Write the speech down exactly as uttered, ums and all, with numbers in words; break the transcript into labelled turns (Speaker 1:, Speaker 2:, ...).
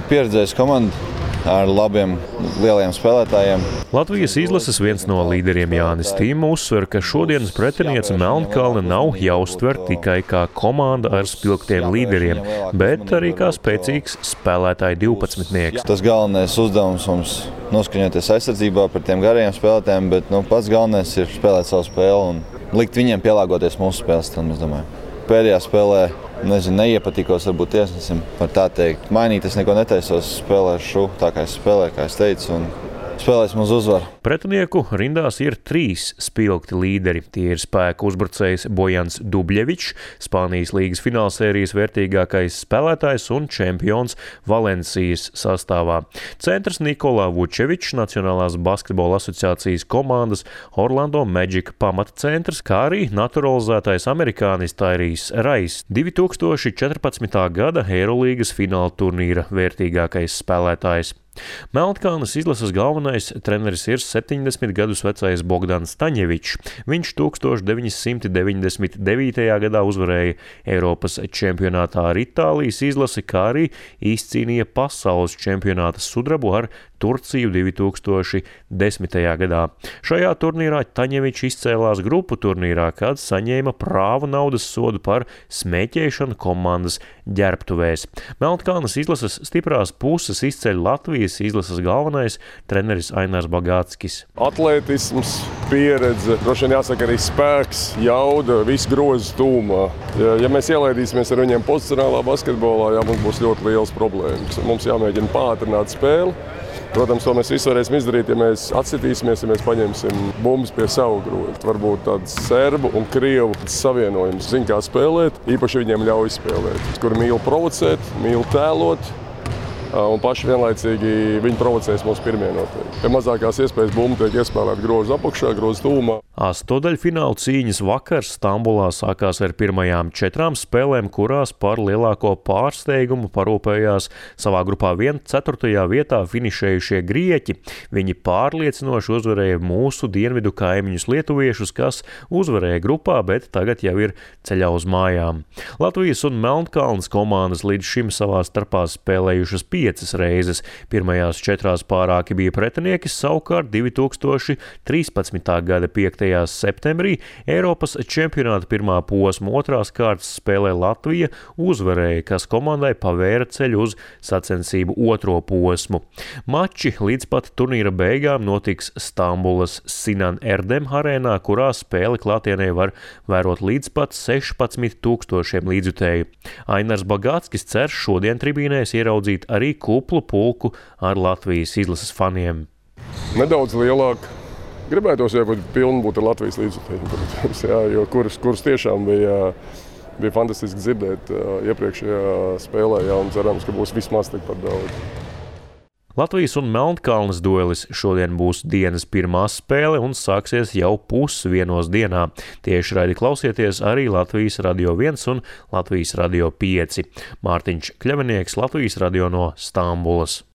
Speaker 1: Pieredzējis komanda ar labiem, lieliem spēlētājiem.
Speaker 2: Latvijas izlases viens no līderiem Jānis Tīma uzsver, ka šodienas pretiniece Melnkalne nav jāuztver tikai kā komanda ar spilgtiem līderiem, bet arī kā spēcīgs spēlētāju divpadsmitnieks.
Speaker 1: Tas galvenais uzdevums mums noskaņoties aizsardzībā par tiem garajiem spēlētājiem, bet nu, pats galvenais ir spēlēt savu spēli un likt viņiem pielāgoties mūsu spēles stilam, es domāju. Pēdējā spēlē, nezinu, neiepatikos varbūt tiesnesim, var tā teikt. Mainīt es neko netaisos, spēlēšu tā, kā es spēlēju, kā es teicu, un spēlēsim uz uzvaru.
Speaker 2: Pretinieku rindās ir trīs spilgti līderi. Tie ir spēku uzbrucējs Bojans Dubļevičs, Spānijas līgas finālsērijas vērtīgākais spēlētājs un čempions Valencijas sastāvā. Centrs Nikolā Vučevičs, Nacionālās basketbola asociācijas komandas Orlando Magic pamatcentrs, kā arī naturalizētais amerikānis Tairijs Rais, divi tūkstoši četrpadsmitā gada Eirolīgas fināla turnīra vērtīgākais spēlētājs. Melnkalnes izlases galvenais treneris ir septiņdesmit gadus vecais Bogdans Taņevičs. Viņš tūkstoš deviņi simti deviņdesmit devītajā gadā uzvarēja Eiropas čempionātā ar Itālijas izlasi, kā arī izcīnīja pasaules čempionāta sudrabu ar Turciju divi tūkstoši desmitajā gadā. Šajā turnīrā Taņevičs izcēlās grupu turnīrā, kad saņēma prāvu naudas sodu par smēķēšanu komandas ģērbtuvēs. Melnkalnes izlases stiprās puses izceļ Latvijas izlases galvenais treneris Ainars Bagāckis.
Speaker 3: Atlētisms, pieredze, droši vien jāsaka arī spēks, jauda, viss grozs tūmā. Ja, ja mēs ielaidīsimies ar viņiem pozicionālā basketbolā, jā, mums būs ļoti liels problēmas. Mums jāmēģina pātrināt spēli. Protams, to mēs visu varēsim izdarīt, ja mēs atsitīsimies, ja mēs paņemsim bumbas pie savu grozu. Varbūt tāds serbu un krievu savienojums. Zin, kā spēlēt, īpaši viņiem ļauj spēlēt. Kuri mīl provocēt, mīl tēlot, un paši vienlaicīgi viņi provocēs mūsu pirmie noteikti. Ja mazākās iespējas bumba tiek iespēlēt grozu apakšā, grozu tūmā.
Speaker 2: Astodaļfināla cīņas vakars Stambulā sākās ar pirmajām četrām spēlēm, kurās par lielāko pārsteigumu parūpējās savā grupā vien ceturtajā vietā finišējušie grieķi. Viņi pārliecinoši uzvarēja mūsu dienvidu kaimiņus lietuviešus, kas uzvarēja grupā, bet tagad jau ir ceļā uz mājām. Latvijas un Melnkalnes komandas līdz šim savā starpā spēlējušas piecas reizes. Pirmajās četrās pārāki bija pretinieki, savukārt divi tūkstoši trīspadsmitā gada piektajā septembrī Eiropas čempionāta pirmā posma otrās kārtas spēlē Latvija uzvarēja, kas komandai pavēra ceļu uz sacensību otro posmu. Mači līdz pat turnīra beigām notiks Stambulas Sinan Erdem arēnā, kurā spēli klātienē var vērot līdz pat sešpadsmit tūkstošiem līdzjutēju. Ainars Bagāckis cer šodien tribīnēs ieraudzīt arī kuplu pulku ar Latvijas izlases faniem.
Speaker 3: Nedaudz lielāk. Gribētos jau pilni būt ar Latvijas līdzjutējiem, protams, jā, jo kurus, kurus tiešām bija, bija fantastiski dzirdēt iepriekšējā spēlē, jā, un cerams, ka būs vismaz tikpat daudz.
Speaker 2: Latvijas un Melnkalnes duelis šodien būs dienas pirmā spēle un sāksies jau pusvienos dienā. Tieši raidi klausieties arī Latvijas radio viens un Latvijas radio pieci. Mārtiņš Kļavinieks, Latvijas radio no Stambulas.